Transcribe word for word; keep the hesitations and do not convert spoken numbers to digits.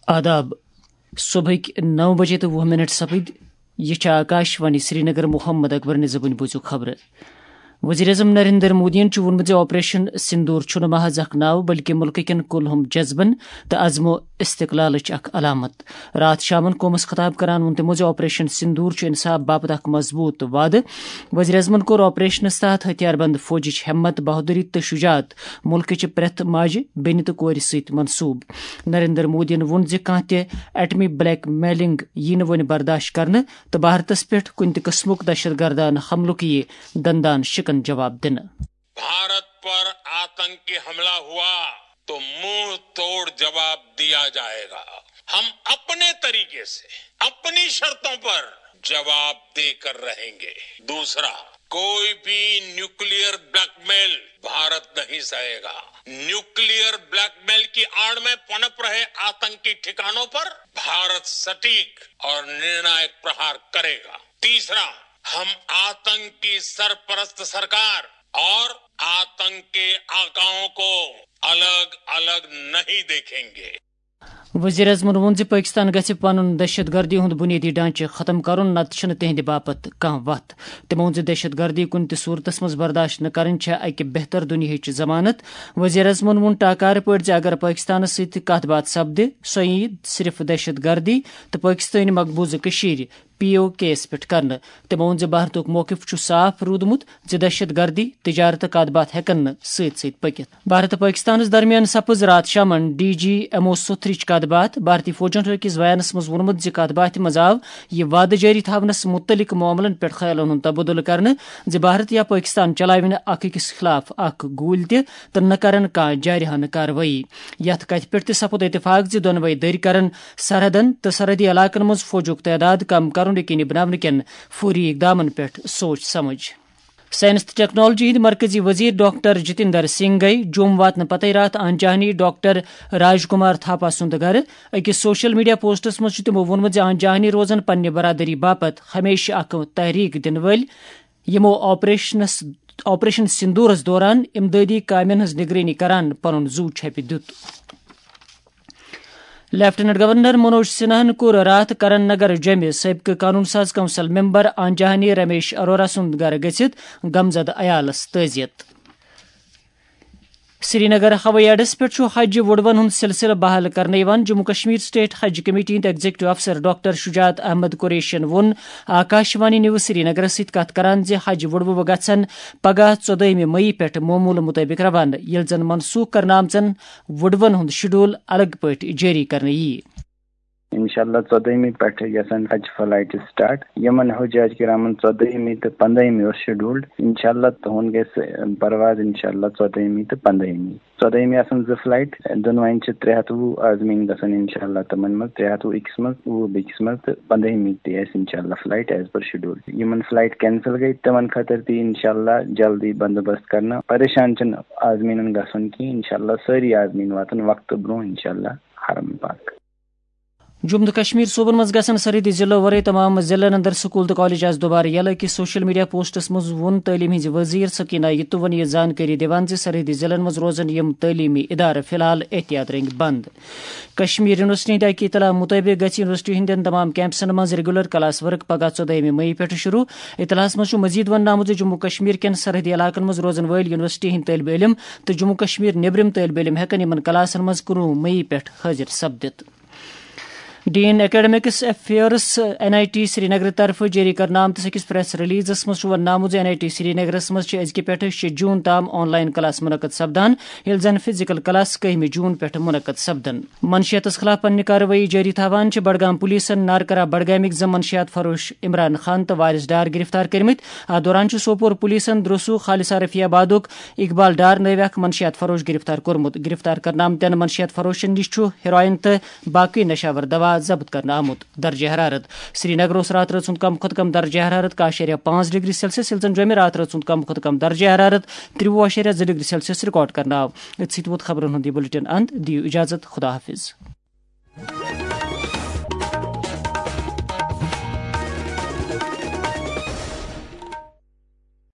آداب۔ صبحٕکۍ نو بجے تہٕ وُہ منٹ سپٕدۍ۔ یہِ چھِ آکاش وانی سرینگر۔ محمد اکبر نِزبٕنۍ بوٗزِو خبرٕ۔ وزیر اعظم نریندر مودیَن چھُ ووٚنمُت زِ آپریشن سندور چھُنہٕ محض اکھ ناو، بلکہِ مُلکہٕ کٮ۪ن کُلہُم جذبن تہٕ عزم و استقلالٕچ اکھ علامت۔ راتھ شامن قومس خطاب کران ووٚن تِمو زِ آپریشن سندور چھُ انصاف باپتھ اکھ مضبوط وعدٕ۔ وزیر اعظمن کوٚر آپریشنس تحت ہتھیار بند فوجٕچ ہمت، بہادری تہٕ شجاعت مُلکٕچہِ پرٛٮ۪تھ ماجہِ، بیٚنہِ تہٕ کورِ سۭتۍ منسوب۔ نریندر مودیَن ووٚن زِ کانٛہہ تہِ ایٹمی بلیک میلنگ یِیہِ نہٕ وۄنۍ برداشت کرنہٕ تہٕ بھارتس پٮ۪ٹھ کُنہِ تہِ قٕسمُک دہشت گردانہٕ حملُک یِیہِ دندان شکن جواب دِنہٕ۔ भारत पर आतंकी हमला हुआ तो मुंह तोड़ जवाब दिया जाएगा। हम अपने तरीके से, अपनी शर्तों पर जवाब देकर रहेंगे। दूसरा, कोई भी न्यूक्लियर ब्लैकमेल भारत नहीं सहेगा। न्यूक्लियर ब्लैकमेल की आड़ में पनप रहे आतंकी ठिकानों पर भारत सटीक और निर्णायक प्रहार करेगा। तीसरा, हम आतंक की सरपरस्त सरकार और आतंक के आकाओं को अलग अलग नहीं देखेंगे। وزیر اعظمن ووٚن زِ پٲکِستان گژھِ پنُن دہشت گردی ہُنٛد بُنیٲدی ڈھانچہٕ ختم کرُن، نتہٕ چھُنہٕ تِہنٛدِ باپتھ کانٛہہ وتھ۔ تٔمۍ ووٚن زِ دہشت گردی کُنہِ تہِ صورتس منٛز برداشت نہٕ کرٕنۍ چھےٚ اکہِ بہتر دُنیاہٕچ ضمانت۔ وزیر اعظمن ووٚن ٹاکارٕ پٲٹھۍ زِ اگر پٲکِستانس سۭتۍ کتھ باتھ سپدِ، سۄ یِیہِ صرف دہشت گردی تہٕ پٲکِستٲنۍ مقبوضہٕ کٔشیٖرِ، پی او کے یَس پٮ۪ٹھ کرنہٕ۔ تٔمۍ ووٚن زِ بھارتُک موقف چھُ صاف روٗدمُت زِ دہشت گردی، تجارت تہٕ کتھ باتھ ہٮ۪کن نہٕ سۭتۍ سۭتۍ پٔکِتھ۔ بھارت تہٕ پٲکِستانَس درمیان سپٕز راتھ شامَن ڈی جی ایم او سوتھرٕچ کتھ باتھ۔ بھارتی فوجَن چھُ أکِس بیانَس منٛز ووٚنمُت زِ کتھ باتھِ منٛز آو یہِ وعدٕ جٲری تھاونَس مُتعلِق معاملَن پٮ۪ٹھ خیالَن ہُنٛد تبادلہٕ کرنہٕ زِ بھارت یا پٲکِستان چلاوِ نہٕ اکھ أکِس خلاف اکھ گوٗلۍ تہِ تہٕ نہ کرن کانٛہہ جارحانہٕ کاروٲیی۔ یَتھ کتھِ پٮ۪ٹھ تہِ سپُد اتفاق زِ دۄنوَے دٔرۍ کرن سرحدن تہٕ سرحدی علاقن منٛز فوجُک تعداد کم کرُن یقینی بناونہٕ کٮ۪ن فوری اقدامن پٮ۪ٹھ سوچ سمجھ۔ سائنس تہٕ ٹیکنالوجی ہٕنٛدۍ مرکزی وزیر ڈاکٹر جتیندر سنگھ گٔیہِ جوٚم واتنہٕ پتے راتھ آنجہانی ڈاکٹر راج کمار تھاپا سُنٛد گرٕ۔ أکِس سوشل میڈیا پوسٹس منٛز چھُ تِمو ووٚنمُت زِ آنجہانی روزن پننہِ برادری باپتھ ہمیشہِ اکھ تحریک دِنہٕ وٲلۍ، یِمو آپریشنس آپریشن سندورس دوران امدادی کامٮ۪ن ہٕنٛز نگرٲنی کران پنُن زُو چھپہِ دیُت۔ لیفٹیننٹ گورنر منوج سنہاہن کوٚر راتھ کرن نگر جوٚمہِ سٲبقہٕ قانون ساز کونسل ممبر آنجہانی رمیش اروڑا سُنٛد گرٕ گٔژھِتھ غمزدٕ عیالس تعزیت۔ سرینگر ہوٲیی اڈس پٮ۪ٹھ چھُ حج وُڈوَن ہُنٛد سلسلہٕ بحال کرنہٕ یِوان۔ جموں کشمیر سٹیٹ حج کمیٹی ہٕنٛدۍ ایگزیکٹو افسر ڈاکٹر شجاعت احمد قریشین ووٚن آکاش وانی نیوز سرینگرس سۭتۍ کتھ کران زِ حج وُڈوٕ گژھن پگاہ ژۄدٲہمہِ مئی پٮ۪ٹھ معموٗلہٕ مُطٲبِق روانہٕ، ییٚلہِ زن منسوخ کرنہٕ آمژن وُڈوَن ہُنٛد شیڈول الگ پٲٹھۍ جٲری کرنہٕ یِیہِ۔ انشاءاللہ ژۄدٲہمہِ پٮ۪ٹھٕ گژھن حج فلائٹ سٹارٹ۔ یِمن حجاج کرامن ژۄدٲہمہِ تہٕ پنٛدٲہمہِ اوس شیڈولڈ۔ انشاءاللہ تُہُنٛد گژھِ پرواز انشاءاللہ ژۄدٲہمہِ تہٕ پنٛدٲہمہِ۔ ژۄدٲہمہِ آسن زٕ فلائٹ، دۄنوَے چھِ ترٛےٚ ہَتھ وُہ عازمیٖن گژھن انشاءاللہ تِمن منٛز، ترٛےٚ ہَتھ وُہ أکِس منٛز، وُہ بیٚکِس منٛز تہٕ پنٛدٲہمہِ تہِ آسہِ انشاءاللہ فلائٹ as per schedule۔ یِمن فلائٹ کینسل گٔے تِمن خٲطرٕ تہِ انشاءاللہ جلدی بندوبست کرنہٕ۔ پریشان چھِنہٕ عازمیٖنن گژھُن کینٛہہ، انشاءاللہ سٲری عازمیٖن واتن وقتہٕ برونٛہہ انشاءاللہ حرم پاک۔ جموں تہٕ کشمیر صوبن منٛز گژھن سرحدی ضلعو ورٲے تمام ضلعن اندر سکول تہٕ کالج آز دوبارٕ یلہٕ۔ أکِس سوشل میڈیا پوسٹس منٛز ووٚن تعلیٖم ہٕنٛزِ وزیر سکینہ یتوون یہِ زانکٲری دِوان زِ سرحدی ضلعن منٛز روزن یِم تعلیٖمی ادارٕ فی الحال احتیاط رنگۍ بند۔ کشمیر یونیورسٹی ہٕنٛدِ اکہِ اطلاع مُطٲبِق گژھِ یونیورسٹی ہٕنٛدٮ۪ن تمام کیمپسن منٛز ریگولر کلاس ورک پگاہ ژۄدٲہمہِ مئی پٮ۪ٹھٕ شروع۔ اطلاعس منٛز چھُ مزید وننہٕ آمُت زِ جموں کشمیر کٮ۪ن سرحدی علاقن منٛز روزن وٲلۍ یونیورسٹی ہٕنٛدۍ طٲلبہِ علم تہٕ جموں کشمیر نیبرِم طٲلبہِ علم ہٮ۪کن یِمن کلاسن منٛز کُنوُہ مئی پٮ۪ٹھ حٲضِر سپدِتھ۔ Dean academics affairs, N I T Srinagar طرفہٕ جٲری کرنہٕ آمتِس أکِس پریس ریلیزس منٛز چھُ وننہٕ آمُت زِ این آئی ٹی سرینگرس منٛز چھِ أزکہِ پٮ۪ٹھٕ شےٚ جون تام آن لائن کلاس منعقد سپدان، ییٚلہِ زن فزیکل کلاس کٔہمہِ جون پٮ۪ٹھٕ منعقد سپدن۔ منشیاتس خلاف پننہِ کاروٲیی جٲری تھاوان چھِ بڈگام پولیسن نارکرا بڈگامٕکۍ زٕ منشیات فروش عمران خان تہٕ وارث ڈار گرفتار کٔرمٕتۍ۔ اتھ دوران چھُ سوپور پولیسن درسو خالصہ رفیع آبادُک اقبال ڈار نٲوۍ اکھ منشیات فروش گرفتار کوٚرمُت۔ گرفتار کرنہٕ آمتٮ۪ن منشیات فروشن نِش چھُ ہیروئن تہٕ باقٕے نشاور دوا ضبط کرنہٕ آمُت۔ درجہ حرارت۔ سرینگر اوس راتہٕ رٲژ ہُنٛد کم کھۄتہٕ کم درجہ حرارت کاہ اعشاریہ پانٛژھ ڈگری سیلسیس، ییٚلہِ زن جوٚمہِ راتہٕ رٲژ ہُنٛد کم کھۄتہٕ کم درجہ حرارت ترٛوُہ اعشاریہ زٕ ڈگری سیلسیس ریکارڈ کرنہٕ آو۔ أتھۍ سۭتۍ ووت خبرن ہُنٛد یہِ بُلٹن اند۔ دِیِو اجازت، خدا حافظ۔